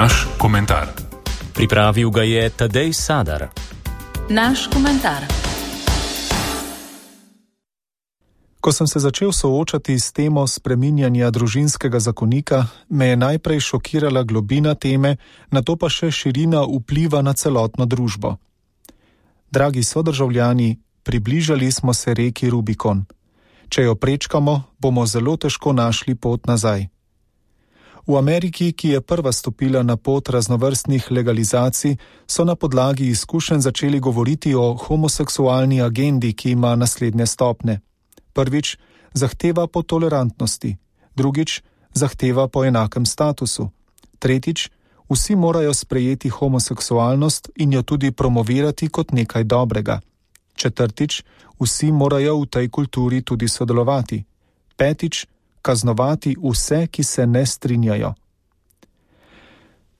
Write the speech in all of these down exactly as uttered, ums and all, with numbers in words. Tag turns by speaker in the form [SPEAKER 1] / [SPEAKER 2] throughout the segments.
[SPEAKER 1] Naš komentar.
[SPEAKER 2] Pripravil ga je Tadej Sadar.
[SPEAKER 3] Naš komentar.
[SPEAKER 4] Ko sem se začel soočati s temo spreminjanja družinskega zakonika, me je najprej šokirala globina teme, nato pa še širina vpliva na celotno družbo. Dragi sodržavljani, približali smo se reki Rubikon. Če jo prečkamo, bomo zelo težko našli pot nazaj. V Ameriki, ki je prva stopila na pot raznovrstnih legalizacij, so na podlagi izkušenj začeli govoriti o homoseksualni agendi, ki ima naslednje stopnje. Prvič, zahteva po tolerantnosti. Drugič, zahteva po enakem statusu. Tretjič, vsi morajo sprejeti homoseksualnost in jo tudi promovirati kot nekaj dobrega. Četrtič, vsi morajo v tej kulturi tudi sodelovati. Petič, kaznovati vse, ki se ne strinjajo.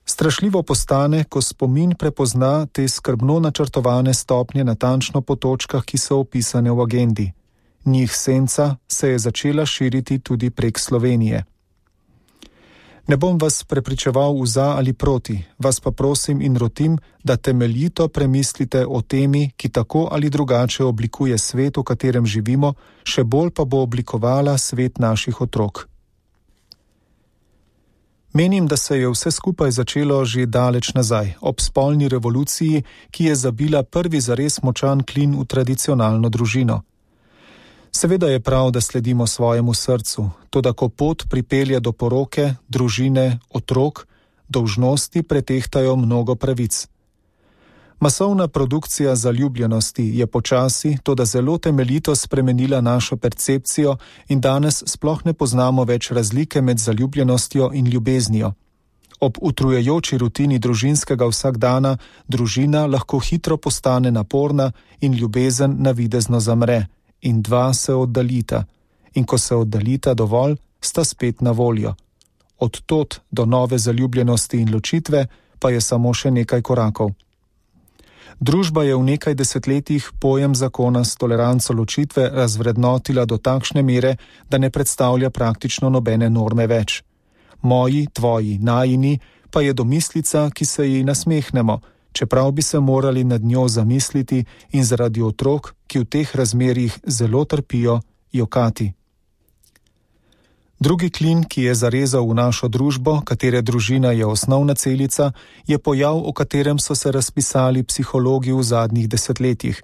[SPEAKER 4] Strašljivo postane, ko spomin prepozna te skrbno načrtovane stopnje natančno po točkah, ki so opisane v agendi. Njih senca se je začela širiti tudi prek Slovenije. Ne bom vas prepričeval v za ali proti, vas pa prosim in rotim, da temeljito premislite o temi, ki tako ali drugače oblikuje svet, v katerem živimo, še bolj pa bo oblikovala svet naših otrok. Menim, da se je vse skupaj začelo že daleč nazaj, ob spolni revoluciji, ki je zabila prvi zares močan klin v tradicionalno družino. Seveda je prav, da sledimo svojemu srcu, toda ko pot pripelje do poroke, družine, otrok, dolžnosti pretehtajo mnogo pravic. Masovna produkcija zaljubljenosti je počasi, toda zelo temeljito spremenila našo percepcijo in danes sploh ne poznamo več razlike med zaljubljenostjo in ljubeznijo. Ob utrujajoči rutini družinskega vsakdana družina lahko hitro postane naporna in ljubezen navidezno zamre. In dva se oddaljita, in ko se oddaljita dovolj, sta spet na voljo. Od tod do nove zaljubljenosti in ločitve pa je samo še nekaj korakov. Družba je v nekaj desetletjih pojem zakona s toleranco ločitve razvrednotila do takšne mere, da ne predstavlja praktično nobene norme več. Moji, tvoji, najini pa je domislica, ki se ji nasmehnemo, čeprav bi se morali nad njo zamisliti in zaradi otrok, ki v teh razmerjih zelo trpijo, jokati. Drugi klin, ki je zarezal v našo družbo, katere družina je osnovna celica, je pojav, o katerem so se razpisali psihologi v zadnjih desetletjih.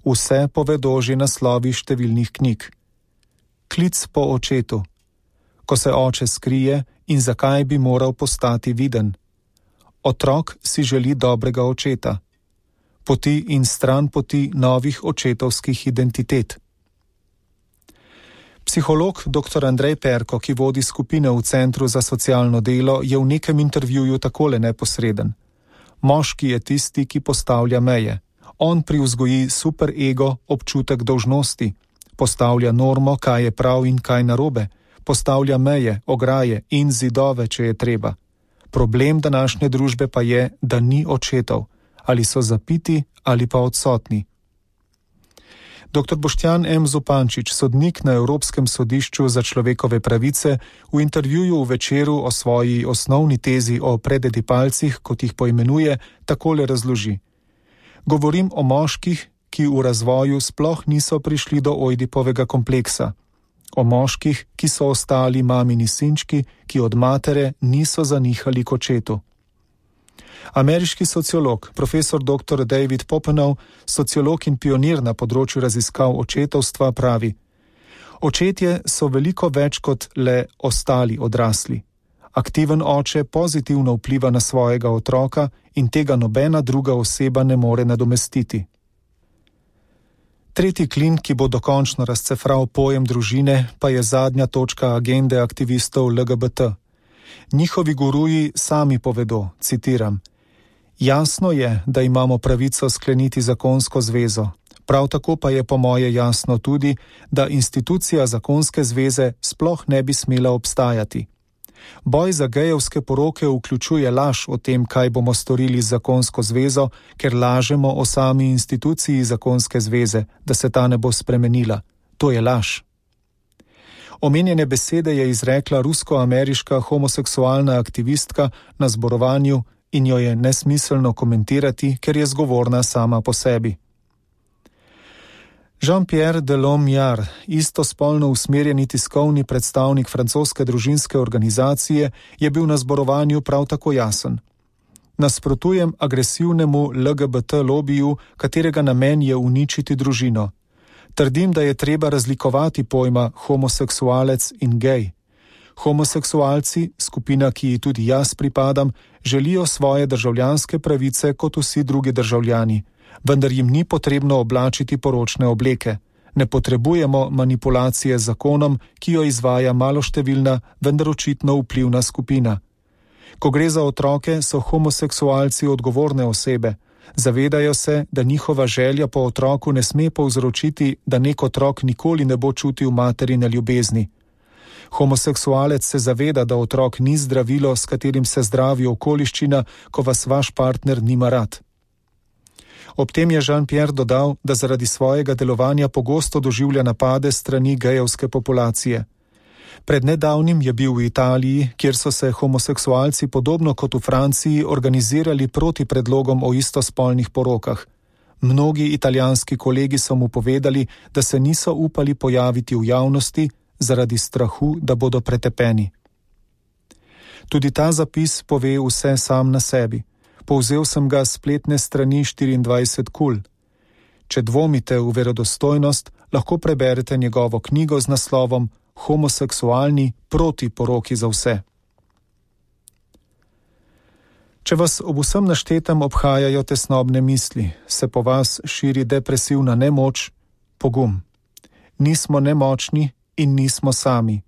[SPEAKER 4] Vse povedo že naslovi številnih knjig. Klic po očetu. Ko se oče skrije in zakaj bi moral postati viden. Otrok si želi dobrega očeta. Poti in stran poti novih očetovskih identitet. Psiholog doktor Andrej Perko, ki vodi skupine v Centru za socialno delo, je v nekem intervjuju takole neposreden. Moški je tisti, ki postavlja meje. On privzgoji superego občutek dolžnosti. Postavlja normo, kaj je prav in kaj narobe. Postavlja meje, ograje in zidove, če je treba. Problem današnje družbe pa je, da ni očetov, ali so zapiti ali pa odsotni. doktor Boštjan M. Zupančič, sodnik na Evropskem sodišču za človekove pravice, v intervjuju v Večeru o svoji osnovni tezi o prededipalcih, kot jih poimenuje, takole razloži. Govorim o moških, ki v razvoju sploh niso prišli do Ojdipovega kompleksa. O moških, ki so ostali mamini sinčki, ki od matere niso zanihali k očetu. Ameriški sociolog, profesor doktor David Popenow, sociolog in pionir na področju raziskav očetovstva, pravi: Očetje so veliko več kot le ostali odrasli. Aktiven oče pozitivno vpliva na svojega otroka in tega nobena druga oseba ne more nadomestiti. Tretji klin, ki bo dokončno razcefral pojem družine, pa je zadnja točka agende aktivistov L G B T. Njihovi guruji sami povedo, citiram: Jasno je, da imamo pravico skleniti zakonsko zvezo. Prav tako pa je po moje jasno tudi, da institucija zakonske zveze sploh ne bi smela obstajati. Boj za gejevske poroke vključuje laž o tem, kaj bomo storili z zakonsko zvezo, ker lažemo o sami instituciji zakonske zveze, da se ta ne bo spremenila. To je laž. Omenjene besede je izrekla rusko-ameriška homoseksualna aktivistka na zborovanju in jo je nesmiselno komentirati, ker je zgovorna sama po sebi. Jean-Pierre Delhomme-Jar, istospolno usmerjeni tiskovni predstavnik francoske družinske organizacije, je bil na zborovanju prav tako jasen. Nasprotujem agresivnemu L G B T lobiju, katerega namen je uničiti družino. Trdim, da je treba razlikovati pojma homoseksualec in gej. Homoseksualci, skupina, ki ji tudi jaz pripadam, želijo svoje državljanske pravice kot vsi drugi državljani, vendar jim ni potrebno oblačiti poročne obleke. Ne potrebujemo manipulacije z zakonom, ki jo izvaja maloštevilna, vendar očitno vplivna skupina. Ko gre za otroke, so homoseksualci odgovorne osebe. Zavedajo se, da njihova želja po otroku ne sme povzročiti, da nek otrok nikoli ne bo čutil materine ljubezni. Homoseksualec se zaveda, da otrok ni zdravilo, s katerim se zdravi okoliščina, ko vas vaš partner nima rad. Ob tem je Jean-Pierre dodal, da zaradi svojega delovanja pogosto doživlja napade strani gejevske populacije. Pred nedavnim je bil v Italiji, kjer so se homoseksualci podobno kot v Franciji organizirali proti predlogom o istospolnih porokah. Mnogi italijanski kolegi so mu povedali, da se niso upali pojaviti v javnosti zaradi strahu, da bodo pretepeni. Tudi ta zapis pove vse sam na sebi. Povzel sem ga s spletne strani štiriindvajset kul. Če dvomite v verodostojnost, lahko preberete njegovo knjigo z naslovom Homoseksualni proti poroki za vse. Če vas ob vsem naštetem obhajajo tesnobne misli, se po vas širi depresivna nemoč, pogum. Nismo nemočni in nismo sami.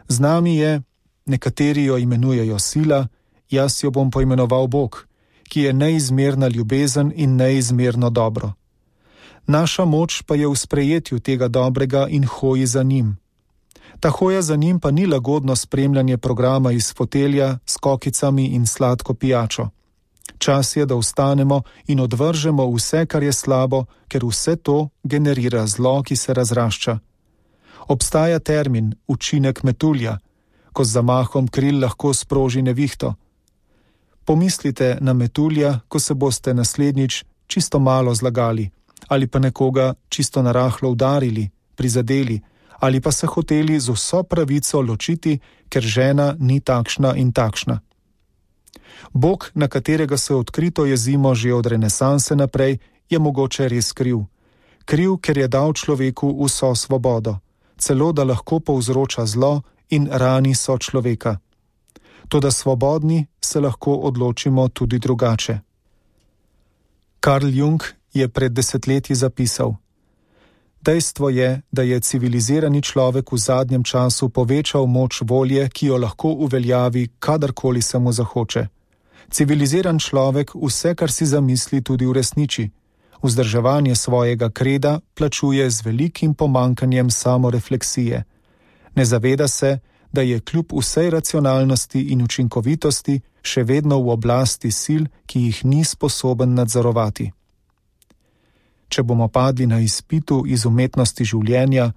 [SPEAKER 4] Z nami je, nekateri jo imenujejo sila, jaz jo bom poimenoval Bog, ki je neizmerna ljubezen in neizmerno dobro. Naša moč pa je v sprejetju tega dobrega in hoji za njim. Ta hoja za njim pa ni lagodno spremljanje programa iz fotelja s kokicami in sladko pijačo. Čas je, da vstanemo in odvržemo vse, kar je slabo, ker vse to generira zlo, ki se razrašča. Obstaja termin učinek metulja, ko z zamahom kril lahko sproži nevihto. Pomislite na metulja, ko se boste naslednjič čisto malo zlagali, ali pa nekoga čisto narahlo udarili, prizadeli, ali pa se hoteli z vso pravico ločiti, ker žena ni takšna in takšna. Bog, na katerega se odkrito jezimo že od renesanse naprej, je mogoče res kriv. Kriv, ker je dal človeku vso svobodo, celo da lahko povzroča zlo in rani so človeka. Toda svobodni se lahko odločimo tudi drugače. Carl Jung je pred desetletji zapisal: Dejstvo je, da je civilizirani človek v zadnjem času povečal moč volje, ki jo lahko uveljavi, kadarkoli se mu zahoče. Civiliziran človek vse, kar si zamisli, tudi uresniči. Vzdrževanje svojega kreda plačuje z velikim pomankanjem samorefleksije. Ne zaveda se, da je kljub vsej racionalnosti in učinkovitosti še vedno v oblasti sil, ki jih ni sposoben nadzorovati. Če bomo padli na izpitu iz umetnosti življenja,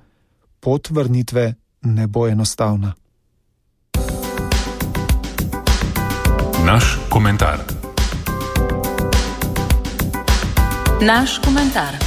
[SPEAKER 4] pot vrnitve ne bo enostavna.
[SPEAKER 1] Naš komentar.
[SPEAKER 3] Naš komentar.